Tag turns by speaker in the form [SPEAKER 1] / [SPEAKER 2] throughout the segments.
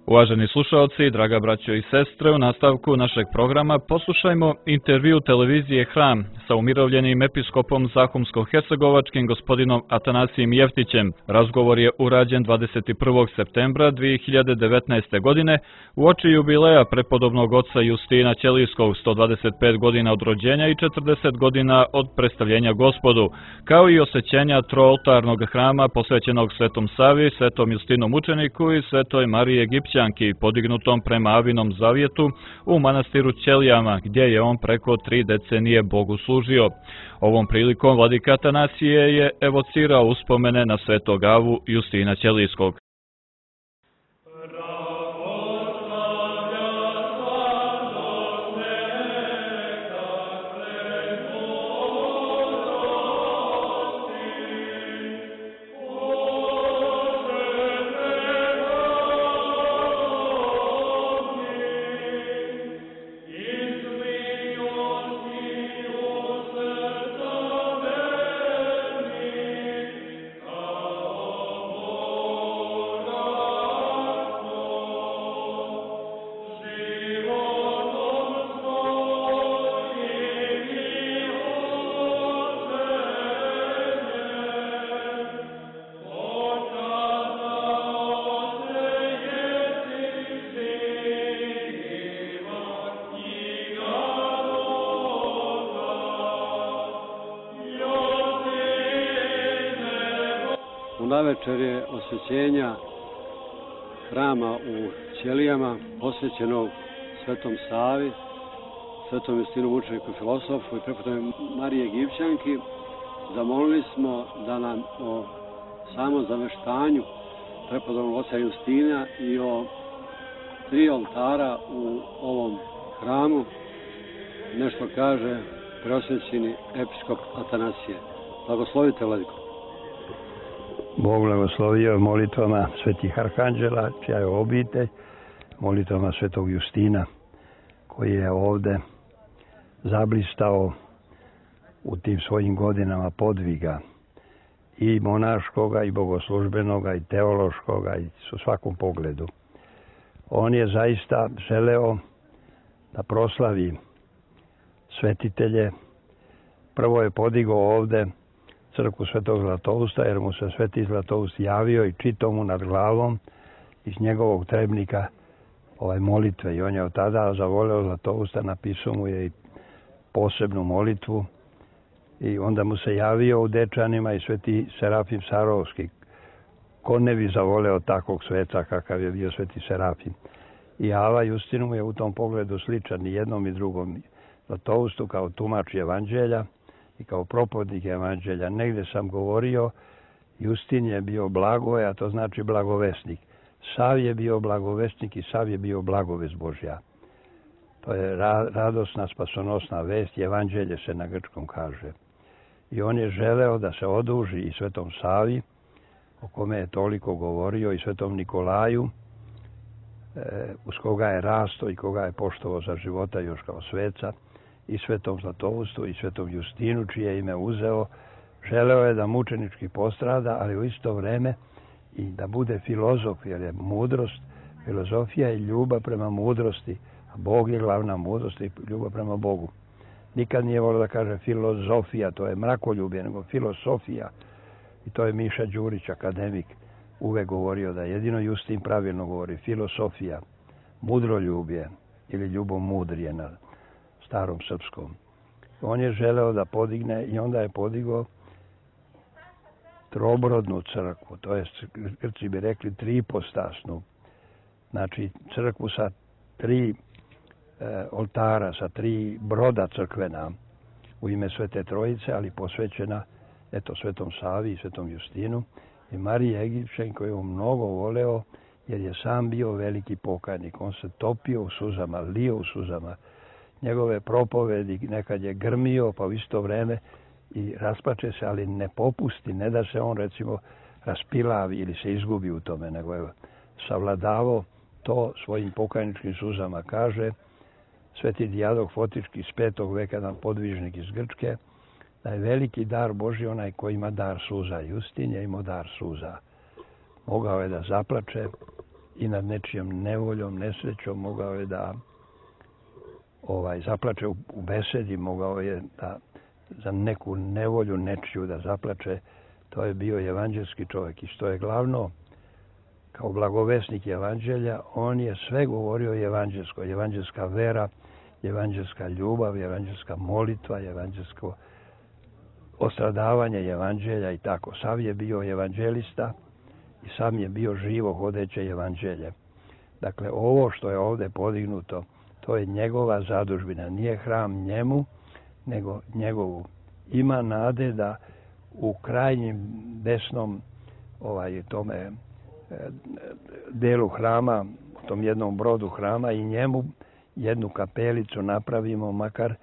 [SPEAKER 1] Uvaženi slušalci, draga braćo i sestre, u nastavku našeg programa poslušajmo intervju televizije Hram sa umirovljenim episkopom Zahumsko-hercegovačkim gospodinom Atanasijem Jeftićem. Razgovor je urađen 21. septembra 2019. godine uoči jubileja prepodobnog oca Justina Ćelijskog, 125 godina od rođenja i 40 godina od predstavljenja Gospodu, kao i osvećenja trooltarnog hrama posvećenog Svetom Savi, Svetom Justinu Mučeniku i Svetoj Mariji Egipćanki, podignutom prema Avinom zavjetu u manastiru Ćelijama, gdje je on preko 3 decenije Bogu služio. Ovom prilikom vladika Atanasije je evocirao uspomene na Svetog Avu Justina Ćelijskog.
[SPEAKER 2] Navečer je osvećenja hrama u Ćelijama, posvećenog Svetom Savi, Svetom Justinu Mučeniku filosofu i prepodobnoj Mariji Egipćanki. Zamolili smo da nam o samom zaveštanju prepodobnog oca Justina i o 3 oltara u ovom hramu nešto kaže preosvećeni episkop Atanasije. Blagoslovite, vladiko.
[SPEAKER 3] Bog blagoslovio molitvama svetih arhanđela, čija je obitelj, molitvama svetog Justina, koji je ovde zablistao u tim svojim godinama podviga i monaškoga, i bogoslužbenoga, i teološkoga, i u svakom pogledu. On je zaista želeo da proslavi svetitelje. Prvo je podigao ovde crkvu Svetog Zlatousta, jer mu se Sveti Zlatoust javio i čitao mu nad glavom iz njegovog trebnika molitve. I on je od tada zavoleo Zlatousta, napisao mu je i posebnu molitvu. I onda mu se javio u Dečanima i Sveti Serafim Sarovski. Ko ne bi zavoleo takvog sveca kakav je bio Sveti Serafim. I Ava Justinu mu je u tom pogledu sličan i jednom i drugom Zlatoustu kao tumač evanđelja i kao propovjednik evanđelja. Negdje sam govorio, Justin je bio blagoj, a to znači blagovesnik. Sav je bio blagovesnik i sav je bio blagovest Božja. To je radosna, spasonosna vest, evanđelje se na grčkom kaže. I on je želeo da se oduži i Svetom Savi, o kome je toliko govorio, i Svetom Nikolaju, uz koga je rasto i koga je poštovao za života još kao sveca, i Svetom Zlatoustu i Svetom Justinu, čije ime uzeo. Želeo je da mučenički postrada, ali u isto vreme i da bude filozof, jer je mudrost, filozofija i ljubav prema mudrosti, a Bog je glavna mudrost i ljubav prema Bogu. Nikad nije volio da kaže filozofija, to je mrakoljubje, nego filosofija. I to je Miša Đurić, akademik, uvek govorio da jedino Justin pravilno govori filosofija, mudroljublje ili ljubomudrije na starom srpskom. On je želeo da podigne i onda je podigao trobrodnu crkvu, to je, Grci bi rekli, tripostasnu. Znači crkvu sa 3 oltara, sa 3 broda crkvena u ime Svete Trojice, ali posvećena Svetom Savi i Svetom Justinu i Mariji Egipćanki, koju je mnogo voleo, jer je sam bio veliki pokajnik. On se topio u suzama, lio u suzama. Njegove propovedi nekad je grmio, pa u isto vreme i rasplače se, ali ne popusti, ne da se on recimo raspilavi ili se izgubi u tome, nego je savladavao to svojim pokajničkim suzama. Kaže Sveti Dijadok Fotički iz 5. veka, jedan podvižnik iz Grčke, da je veliki dar Božji onaj koji ima dar suza. Justin je imao dar suza. Mogao je da zaplače i nad nečijom nevoljom, nesrećom, mogao je da zaplače u besedi, mogao je da za neku nevolju nečiju da zaplače. To je bio evanđelski čovjek i što je glavno, kao blagovesnik evanđelja, on je sve govorio evanđelsko, evanđelska vera, evanđelska ljubav, evanđelska molitva, evanđelsko ostradavanje evanđelja i tako. Sav je bio evanđelista i sam je bio živo hodeće evanđelje. Dakle, ovo što je ovdje podignuto, to je njegova zadužbina. Nije hram njemu, nego njegovu. Ima nade da u krajnjem desnom tome delu hrama, u tom jednom brodu hrama i njemu jednu kapelicu napravimo, makar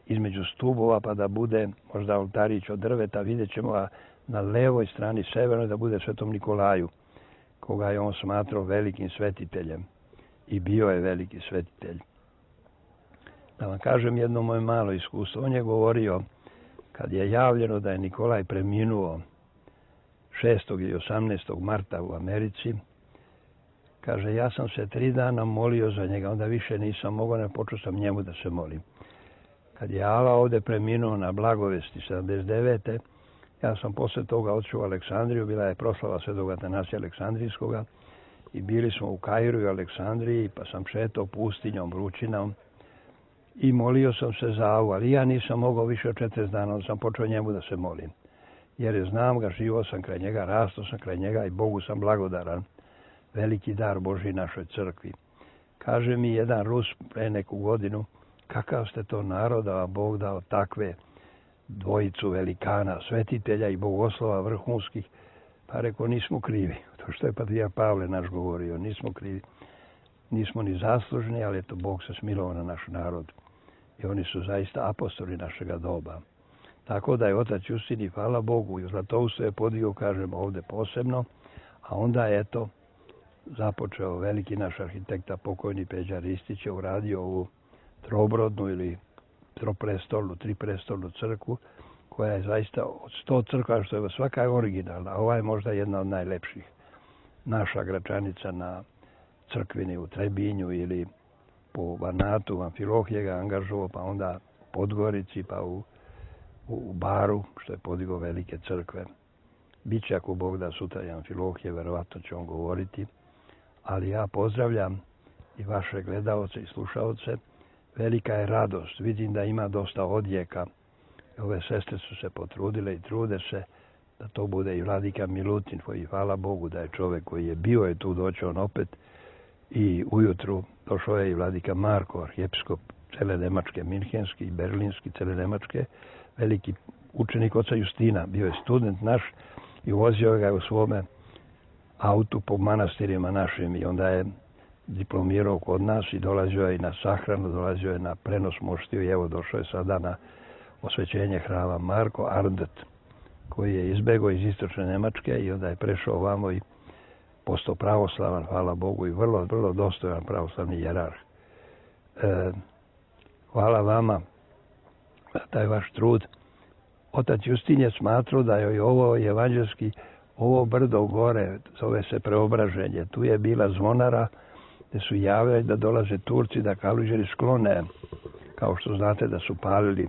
[SPEAKER 3] između stubova, pa da bude možda oltarić od drveta, vidjet ćemo, a na levoj strani severnoj da bude Svetom Nikolaju, koga je on smatrao velikim svetiteljem i bio je veliki svetitelj. Da vam kažem jedno moje malo iskustvo. On je govorio, kad je javljeno da je Nikolaj preminuo 6. i 18. marta u Americi, kaže, ja sam se 3 dana molio za njega, onda više nisam mogao, ne počeo sam njemu da se molim. Kad je Ala ovdje preminuo na Blagovesti 79. Ja sam posle toga otišao u Aleksandriju, bila je proslava Svetog Atanasija Aleksandrijskoga i bili smo u Kairu i Aleksandriji, pa sam šetao pustinjom, vrućinom i molio sam se za Avu, ali ja nisam mogao više od 40 dana, onda sam počeo njemu da se molim. Jer je znam ga, živo sam kraj njega, rastao sam kraj njega i Bogu sam blagodaran. Veliki dar Božji našoj crkvi. Kaže mi jedan Rus pre neku godinu, kakav ste to narod, da vam Bog dao takve dvojicu velikana, svetitelja i bogoslova vrhunskih. Pa rekao, nismo krivi. To što je patrijarh Pavle naš govorio, nismo krivi. Nismo ni zaslužni, ali eto, Bog se smilovao na naš narod. I oni su zaista apostoli našega doba. Tako da je otac Justin i hvala Bogu i Zlatoustvu je podigao, kažem, ovdje posebno, a onda je eto započeo veliki naš arhitekta, pokojni Peđa Ristić, je uradio ovu trobrodnu ili triprestolnu crkvu, koja je zaista od 100 crkva, što je svaka je originalna, a ova je možda jedna od najlepših. Naša Gračanica na crkvini u Trebinju ili po Banatu, Amfilohije ga angažovao, pa onda u Podgorici, pa u Baru, što je podigao velike crkve. Biće, ako Bog da, sutra i Amfilohije, verovatno će on govoriti. Ali ja pozdravljam i vaše gledaoce i slušaoce. Velika je radost. Vidim da ima dosta odjeka. Ove sestre su se potrudile i trude se da to bude i vladika Milutin, koji hvala Bogu da je čovjek koji je bio je tu, doći on opet. I ujutru došao je i vladika Marko, arhijepiskop cele Nemačke, minhenski i berlinski, cele Nemačke, veliki učenik oca Justina. Bio je student naš i vozio ga u svome autu po manastirima našim i onda je diplomirao kod nas i dolazio je i na sahranu, dolazio je na prenos moštiju i evo došao je sada na osvećenje hrama Marko Arndt, koji je izbegao iz istočne Nemačke i onda je prešao ovamo i postao pravoslavan, hvala Bogu, i vrlo, vrlo dostojan pravoslavni jerarh. Hvala vama za taj vaš trud. Otac Justin je smatrao da je ovo evanđelski, ovo brdo gore, zove se Preobraženje. Tu je bila zvonara gdje su javili da dolaze Turci, da Kaluđeri sklone, kao što znate da su palili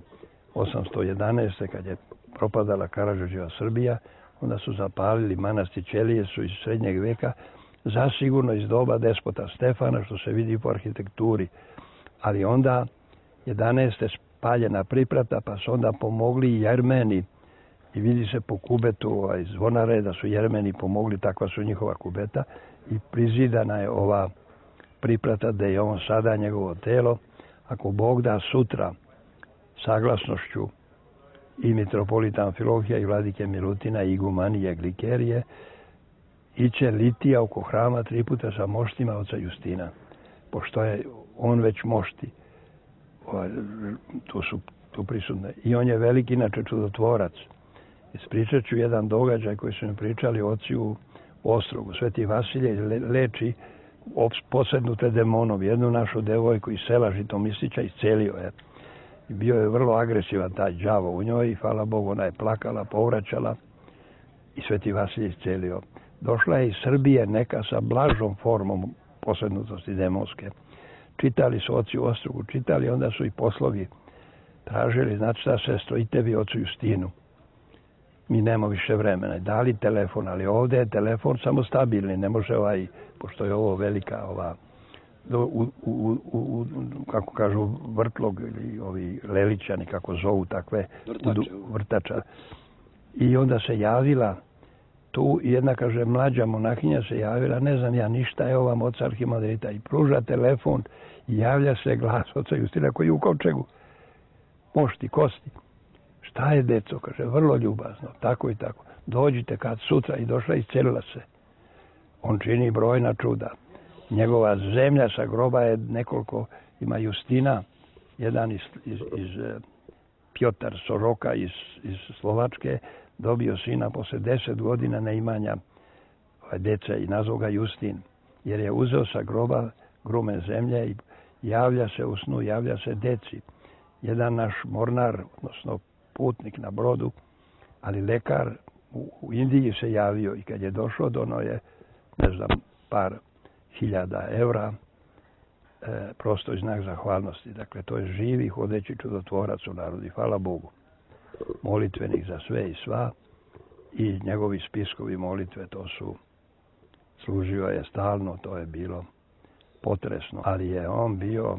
[SPEAKER 3] 811. kad je propadala Karađorđeva Srbija, onda su zapalili manastir Ćelije, su iz srednjeg veka, zasigurno iz doba despota Stefana, što se vidi po arhitekturi. Ali onda 11. spaljena priprata, pa su onda pomogli i Jermeni. I vidi se po kubetu zvonare da su Jermeni pomogli, takva su njihova kubeta. I prizidana je ova priprata da je on sada njegovo telo. Ako Bog da sutra saglasnošću i mitropolita Amfilohija i vladike Milutina i igumanije Glikerije, iće litija oko hrama 3 puta sa moštima oca Justina. Pošto je on već mošti, tu prisutne. I on je veliki, inače, čudotvorac. Ispričat ću jedan događaj koji su mi pričali oci u Ostrogu. Sveti Vasilije leči posednute demonom. Jednu našu devojku iz sela Žitomislića iscelio je. I bio je vrlo agresivan taj đavo u njoj i hvala Bogu ona je plakala, povraćala i Sveti Vasilije iscelio. došla je iz Srbije neka sa blažom formom posrednutosti demonske. Čitali su oci u Ostrogu, čitali, onda su i poslovi tražili, znači šta sestro, i tebi ocu Justinu. Mi nemamo više vremena. Dali telefon, ali ovdje je telefon samo stabilni, ne može pošto je ovo velika kako kažu vrtlog ili ovi leličani kako zovu takve vrtača. I onda se javila tu jedna, kaže, mlađa monahinja se javila, ne znam ja ništa, evo vam oca arhimandrita, i pruža telefon i javlja se glas oca Justina koji je u kovčegu. Mošti, kosti. Šta je, deco? Kaže, vrlo ljubazno, tako i tako. Dođite kad sutra, i došla i iscelila se. On čini brojna čuda. Njegova zemlja sa groba je nekoliko, ima Justina, jedan iz Pjotar Soroka iz Slovačke, dobio sina posle 10 godina neimanja deca i nazvao ga Justin, jer je uzeo sa groba grume zemlje i javlja se u snu, javlja se deci. Jedan naš mornar, odnosno putnik na brodu, ali lekar u Indiji se javio i kad je došao dono je, ne znam, par hiljada evra, prosto i znak zahvalnosti. Dakle, to je živi, hodeći čudotvorac u narodi, hvala Bogu. Molitvenik za sve i sva i njegovi spiskovi molitve, to su, služio je stalno, to je bilo potresno. Ali je on bio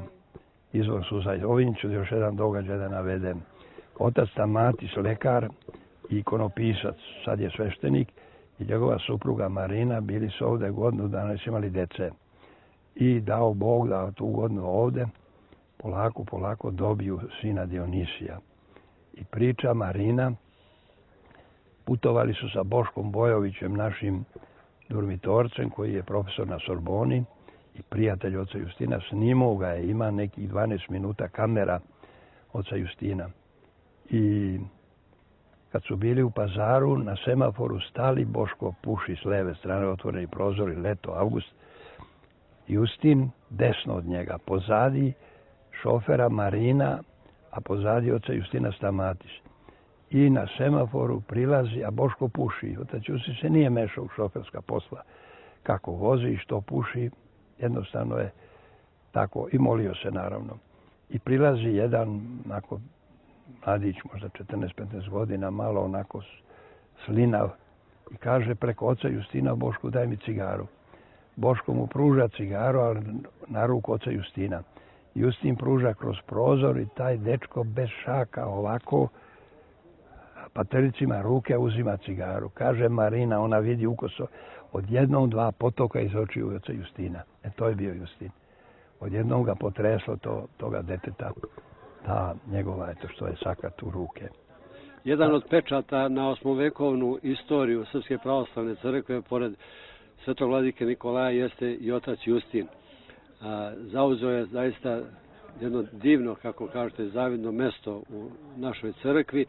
[SPEAKER 3] izvor suza. Ovim ću još jedan događaj da navedem. Otac Stamatis, lekar i ikonopisac, sad je sveštenik, i njegova supruga Marina bili su ovdje godinu dana, su imali dece. I dao Bog da tu godinu ovdje polako dobiju sina Dionisija. I priča Marina, putovali su sa Boškom Bojovićem, našim durmitorcem, koji je profesor na Sorboni i prijatelj oca Justina, snimao ga je, ima nekih 12 minuta kamera oca Justina. I kad su bili u Pazaru, na semaforu stali, Boško puši s leve strane, otvoreni prozori, leto, avgust. Justin desno od njega, pozadi šofera Marina, a pozadi oca Justina Stamatis. I na semaforu prilazi, a Boško puši. Otac Justin se nije mešao u šoferska posla. Kako vozi i što puši, jednostavno je tako, i molio se naravno. I prilazi jedan, onako, mladić, možda 14-15 godina, malo onako slinav, i kaže preko oca Justina, Bošku, daj mi cigaru. Boško mu pruža cigaru, ali na ruku oca Justina. Justin pruža kroz prozor i taj dečko bez šaka ovako patericima ruke uzima cigaru. Kaže Marina, ona vidi ukoso odjednom 2 potoka iz očiju oca Justina. To je bio Justin. Odjednom ga potreslo toga deteta, ta njegova, što je sakat u ruke.
[SPEAKER 2] Jedan od pečata na 8-vekovnu istoriju Srpske pravoslavne crkve, pored svetog vladike Nikolaja, jeste i otac Justin. Zauzeo je zaista jedno divno, kako kažete, zavidno mesto u našoj crkvi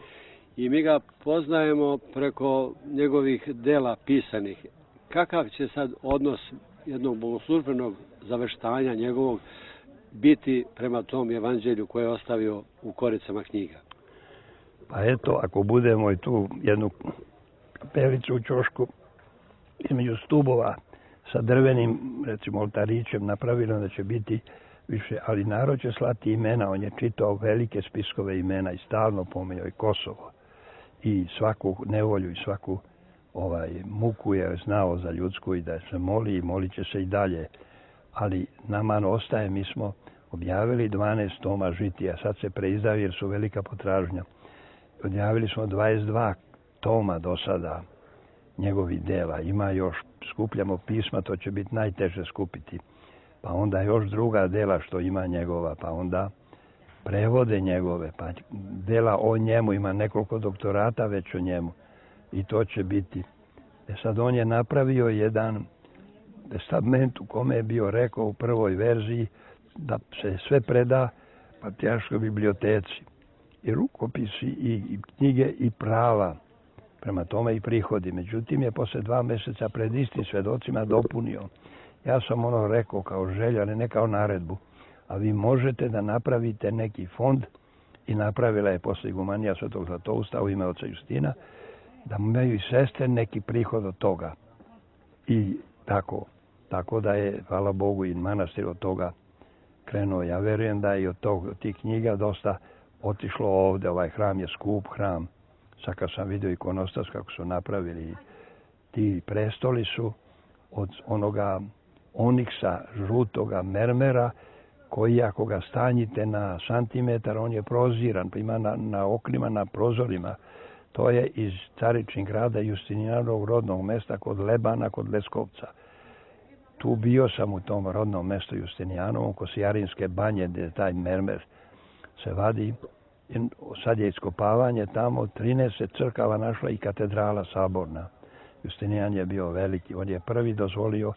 [SPEAKER 2] i mi ga poznajemo preko njegovih dela pisanih. Kakav će sad odnos jednog bogoslužbenog zaveštanja njegovog biti prema tom evanđelju koje je ostavio u koricama knjiga?
[SPEAKER 3] Pa eto, ako budemo i tu jednu kapelicu u ćošku između stubova sa drvenim, recimo, oltarićem napravili, da će biti više, ali narod će slati imena. On je čitao velike spiskove imena i stalno pominjao i Kosovo i svaku nevolju i svaku muku je znao za ljudsku i da se moli i molit će se i dalje. Ali nama ostaje, mi smo objavili 12 toma žitija, sad se preizdaju jer su velika potražnja. Objavili smo 22 toma do sada njegovih dela. Ima još, skupljamo pisma, to će biti najteže skupiti. Pa onda još druga dela što ima njegova, pa onda prevode njegove, pa dela o njemu, ima nekoliko doktorata već o njemu. I to će biti. Sad on je napravio jedan testament u kome je bio rekao u prvoj verziji da se sve preda Patrijarškoj biblioteci. I rukopisi, i knjige, i prava. Prema tome i prihodi. Međutim je posle 2 mjeseca pred istim svedocima dopunio. Ja sam rekao kao želju, ali ne kao naredbu. A vi možete da napravite neki fond, i napravila je posle igumanija Svetog Zlatousta u ime oca Justina, da imaju i sestre neki prihod od toga. I tako da je, hvala Bogu, i manastir od toga krenuo. Ja verujem da je od tih knjiga dosta otišlo ovde. Ovaj hram je skup hram. Sad kad sam vidio ikonostas kako su napravili, ti prestoli su od onoga oniksa, žutoga mermera, koji ako ga stanjite na santimetar, on je proziran, pa ima na oknima, na prozorima. To je iz Caričnih grada Justinijanovog rodnog mesta kod Lebana, kod Leskovca. Tu bio sam u tom rodnom mestu Justinijanovom, kod Sijarinske banje, gdje taj mermer se vadi. Sad je iskopavanje tamo, 13 crkava našla i katedrala saborna. Justinijan je bio veliki, on je prvi dozvolio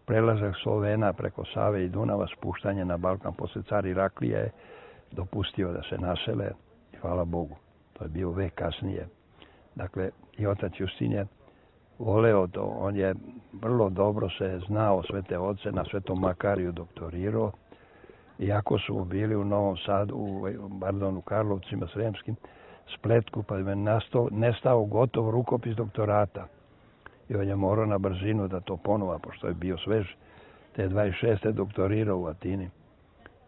[SPEAKER 3] prelazak Slovena preko Save i Dunava, spuštanje na Balkan. Posle car Iraklija je dopustio da se nasele i hvala Bogu. To je bio vek kasnije. Dakle, i otac Justin je voleo to. On je vrlo dobro se znao svete oce, na Svetom Makariju doktorirao. Iako su bili u Novom Sadu, u Karlovcima Sremskim, Spletku, pa je nestao gotov rukopis doktorata. I on je morao na brzinu da to ponova, pošto je bio svež. Te 26. doktorirao u Atini.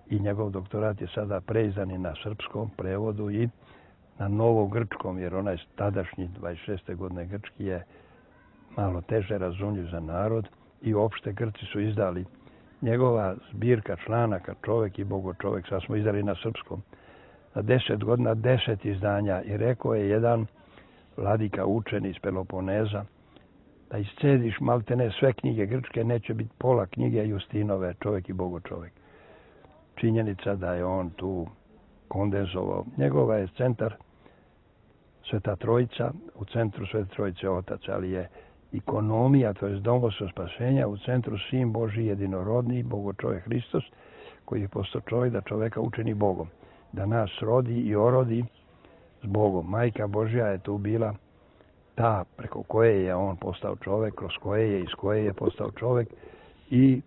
[SPEAKER 3] I njegov doktorat je sada preizdan i na srpskom prevodu i na novogrčkom, jer onaj tadašnji 26. godine grčki je malo teže razumljiv za narod i uopšte Grci su izdali njegova zbirka članaka Čovek i Bogočovek, sad smo izdali na srpskom, na 10 godina 10 izdanja. I rekao je jedan vladika učeni iz Peloponeza da iscediš maltene sve knjige grčke, neće biti pola knjige Justinove Čovek i Bogočovek. Činjenica da je on tu kondenzovao. Njegova je centar Sveta Trojica, u centru Svete Trojice Otac, ali je ikonomija, to je domoljubstvo spasenja, u centru Sin Božji jedinorodni, Bogočovek Hristos, koji je postao čovjek da čoveka učini Bogom. Da nas rodi i orodi s Bogom. Majka Božja je tu bila ta preko koje je on postao čovjek, kroz koje je, iz koje je postao čovjek. I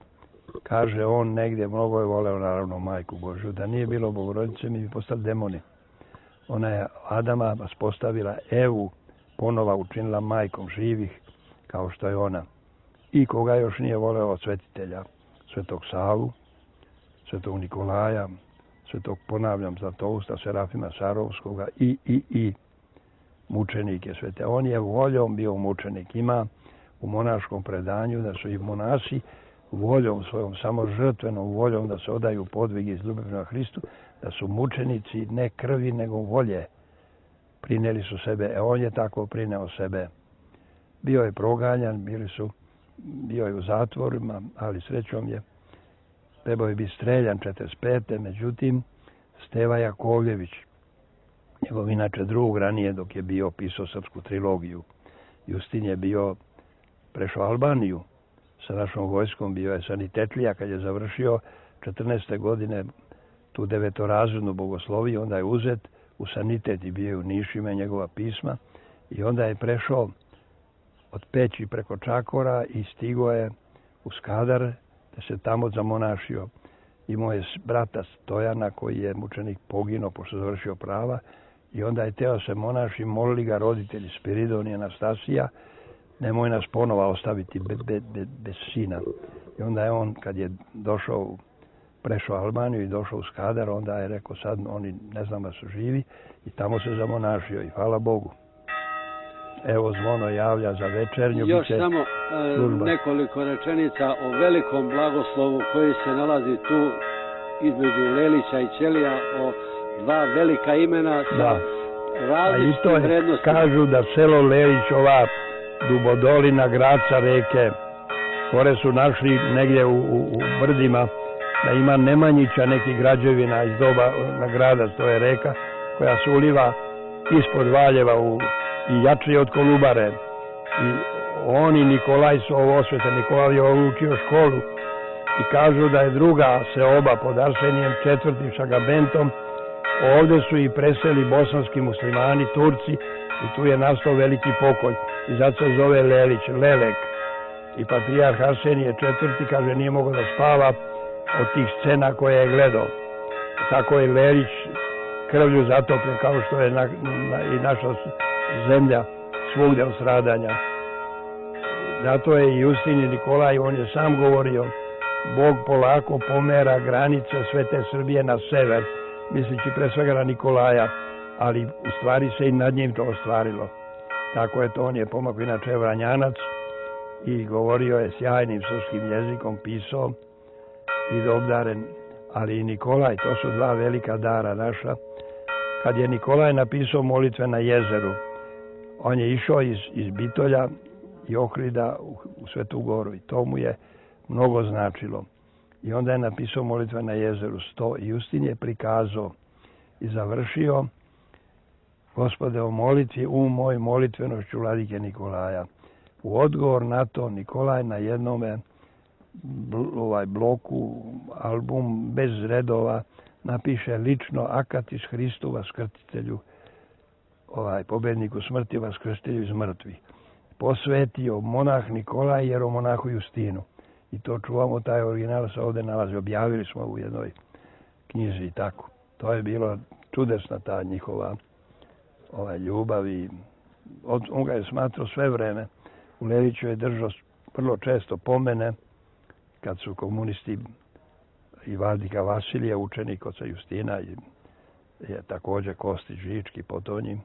[SPEAKER 3] kaže on negdje, mnogo je voleo naravno Majku Božju, da nije bilo Bogorodice mi bi postali demoni. Ona je Adama uspostavila, Evu ponova učinila majkom živih, kao što je ona. I koga još nije voleo od svetitelja, Svetog Savu, Svetog Nikolaja, Svetog, ponavljam, Zlatousta, Serafima Sarovskoga i mučenike svete. On je voljom bio mučenik. Ima u monaškom predanju da su i monasi voljom svojom, samo žrtvenom voljom da se odaju podvigi iz ljubavi prema Hristu, da su mučenici ne krvi nego volje. Prineli su sebe, on je tako prineo sebe. Bio je proganjan, bio je u zatvorima, ali srećom je trebao je biti streljan 45. Međutim, Steva Jakovljević, njegov inače drug ranije dok je bio pisao srpsku trilogiju. Justin je prešao Albaniju sa našom vojskom, bio je sanitetlija kad je završio 14. godine tu 9-razrednu bogosloviju, onda je uzet u sanitet i bio je u Nišima njegova pisma i onda je prešao od Peći preko Čakora i stigo je u Skadar da se tamo zamonašio. Imao je brata Stojana koji je mučenik poginuo pošto je završio prava i onda je teo se monaši, molili ga roditelji Spiridon i Anastasija, nemoj nas ponova ostaviti bez sina. I onda je on, kad je prešao Albaniju i došao u Skadar, onda je rekao sad oni ne znam da su živi i tamo se zamonašio i hvala Bogu. Evo zvono javlja za večernju.
[SPEAKER 2] Još samo nekoliko rečenica o velikom blagoslovu koji se nalazi tu između Lelića i Ćelija, o dva velika imena sa različitim vrednostima.
[SPEAKER 3] Kažu da selo Lelić, ova Dubodolina, Graca reke, gore su našli negdje u brdima da ima Nemanjića nekih građevina iz doba grada, to je reka koja se uliva ispod Valjeva i jače od Kolubare. I on i Nikolaj su ovo osvete, Nikolaj je učio školu i kažu da je druga seoba pod Arsenijem, četvrtim Šagabentom. Ovdje su i preseli bosanski muslimani, Turci i tu je nastao veliki pokoj i zato se zove Lelić, Lelek. I patrijarh Arsenije četvrti kaže nije mogao da spava od tih scena koje je gledao. Tako je Lelić krvlju zatopljen kao što je i naša zemlja svugdje od stradanja. zato je i Justin i Nikolaj, on je sam govorio, Bog polako pomera granice Svete Srbije na sever, misleći pre svega na Nikolaja, ali u stvari se i nad njim to ostvarilo. Tako je to, on je pomakao, inače Vranjanac, i govorio je sjajnim srpskim jezikom, pisao i obdaren, ali i Nikolaj, to su dva velika dara naša. Kad je Nikolaj napisao molitve na jezeru, on je išao iz Bitolja i Ohrida u Svetu Goru i to mu je mnogo značilo. I onda je napisao molitve na jezeru 100 i Justin je prikazao i završio: Gospode, o molitvi moj molitvenošću vladike Nikolaja. U odgovor na to Nikolaj na jednome bloku, album bez redova, napiše lično Akatis Hristu Vaskrstitelju, pobedniku smrti, Vaskrstitelju iz mrtvih. Posvetio monah Nikolaj jeromonahu Justinu. I to čuvamo, taj original se ovde nalazi. Objavili smo u jednoj knjizi i tako. To je bilo čudesna ta njihova ljubav i on ga je smatrao sve vreme. U Leliću je držao vrlo često pomene kad su komunisti i vladika Vasilija, učenik oca Justina, je također Kostić Žički potonjim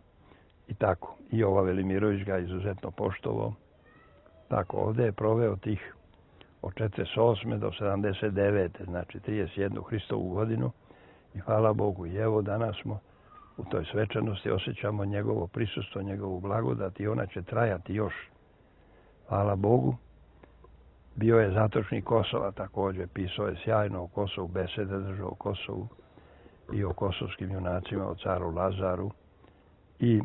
[SPEAKER 3] i tako. I Jova Velimirović ga izuzetno poštovao. Tako, ovde je proveo tih od 48. do 79. znači 31. Hristovu godinu i hvala Bogu. I evo danas smo u toj svečanosti, osjećamo njegovo prisustvo, njegovu blagodat i ona će trajati još. Hvala Bogu. Bio je zatočnik Kosova također, pisao je sjajno o Kosovu, besede držao o Kosovu i o kosovskim junacima, o caru Lazaru. I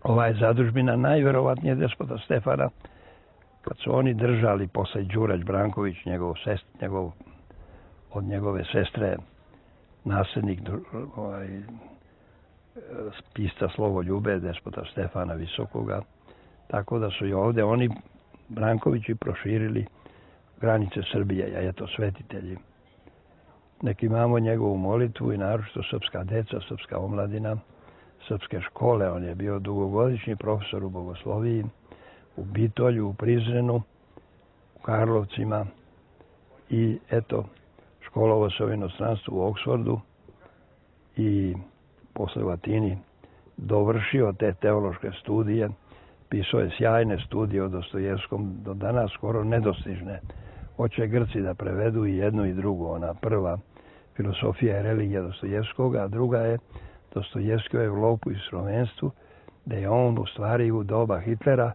[SPEAKER 3] ova je zadužbina najverovatnije despota Stefana, kad su oni držali posle Đurać Branković, od njegove sestre, nasljednik pisca Slovoljube, despota Stefana Visokoga, tako da su i ovde oni Brankovići proširili granice Srbije, a eto svetitelji. Nek imamo njegovu molitvu i naročito srpska deca, srpska omladina, srpske škole. On je bio dugogodišnji profesor u bogosloviji, u Bitolju, u Prizrenu, u Karlovcima i eto, školovao se u inostranstvu u Oksfordu i posle u Atini dovršio te teološke studije. Pisao je sjajne studije o Dostojevskom, do danas skoro nedostižne. Hoće Grci da prevedu i jednu i drugu. Ona prva, Filosofija i religija Dostojevskog, a druga je Dostojevski u Evropu i slovenstvu, da je on u stvari u doba Hitlera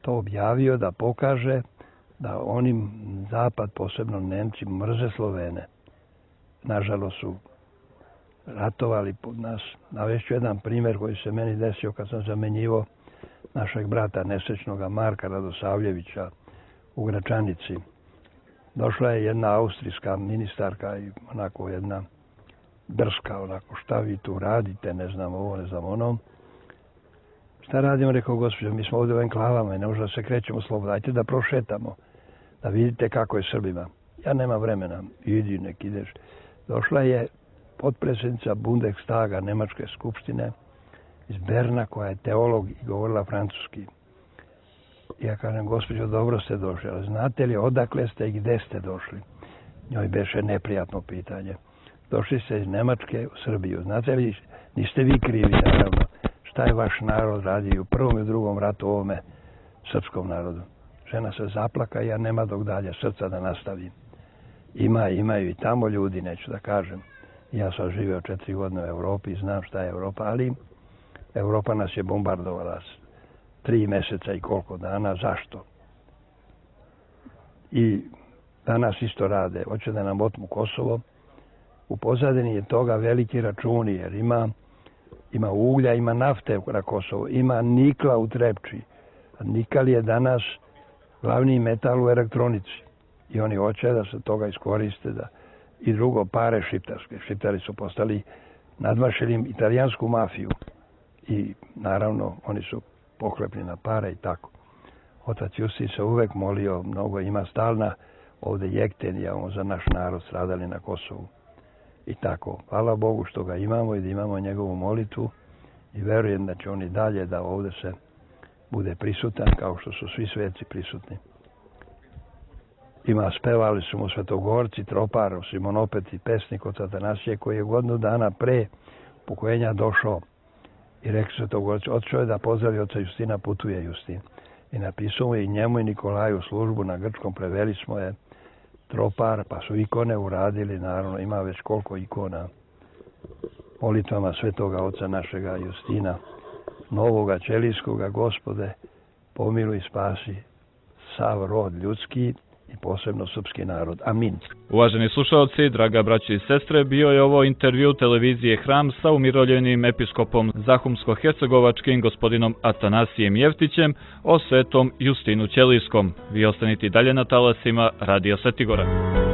[SPEAKER 3] to objavio da pokaže da oni zapad, posebno Nemci, mrze Slovene. Nažalost su ratovali pod nas. Navešću jedan primjer koji se meni desio kad sam zamenjivo našeg brata nesrećnoga Marka Radosavljevića u Gračanici. Došla je jedna austrijska ministarka i onako jedna drska, onako, šta vi tu radite, ne znam ovo, ne znam ono. Šta radimo, rekao, gospođo, mi smo ovdje u enklavama i ne možemo da se krećemo slobodno, dajte da prošetamo, da vidite kako je Srbima. Ja nemam vremena, idi, nek ideš. Došla je potpredsjednica Bundestaga Nemačke skupštine iz Berna, koja je teolog i govorila francuski. Ja kažem, gospođo, dobro ste došli, ali znate li odakle ste i gde ste došli? Njoj beše neprijatno pitanje. Došli ste iz Nemačke u Srbiju. Znate li, niste vi krivi, naravno, šta je vaš narod radio u prvom i drugom ratu ovome srpskom narodu. Žena se zaplaka i ja nema dok dalje srca da nastavim. Imaju i tamo ljudi, neću da kažem. Ja sam živio 4 godine u Evropi, znam šta je Evropa, ali Evropa nas je bombardovala 3 meseca i koliko dana. Zašto? I danas isto rade. Hoće da nam otmu Kosovo. U pozadini je toga veliki računi, jer ima uglja, ima nafte na Kosovo, ima nikla u Trepči. A nikal je danas glavni metal u elektronici. I oni hoće da se toga iskoriste. I drugo, pare šiptarske. Šiptari su postali, nadmašili italijansku mafiju. I naravno, oni su pohlepni na pare i tako. Otac Justin se uvek molio, mnogo ima stalna ovde jektenija za naš narod stradali na Kosovu. I tako, hvala Bogu što ga imamo i da imamo njegovu molitvu i verujem da će oni dalje da ovde se bude prisutan kao što su svi sveci prisutni. Spevali su mu svetogorci, tropar, Simon opet i pesnik od Atanasije koji je godinu dana pre upokojenja došao i rekao svetogorci, odšao je da pozdravi oca Justina, putuje Justin. I napisao je i njemu i Nikolaju službu na grčkom, preveli smo je tropar, pa su ikone uradili, naravno ima već koliko ikona, molitvama svetoga oca našega Justina, novoga ćelijskoga, Gospode, pomiluj i spasi sav rod ljudski i posebno srpski narod. Amin.
[SPEAKER 1] Uvaženi slušalci, draga braćo i sestre, bio je ovo intervju televizije Hram sa umirovljenim episkopom Zahumsko-hercegovačkim gospodinom Atanasijem Jeftićem o svetom Justinu Ćelijskom. Vi ostanite dalje na talasima Radio Svetigora.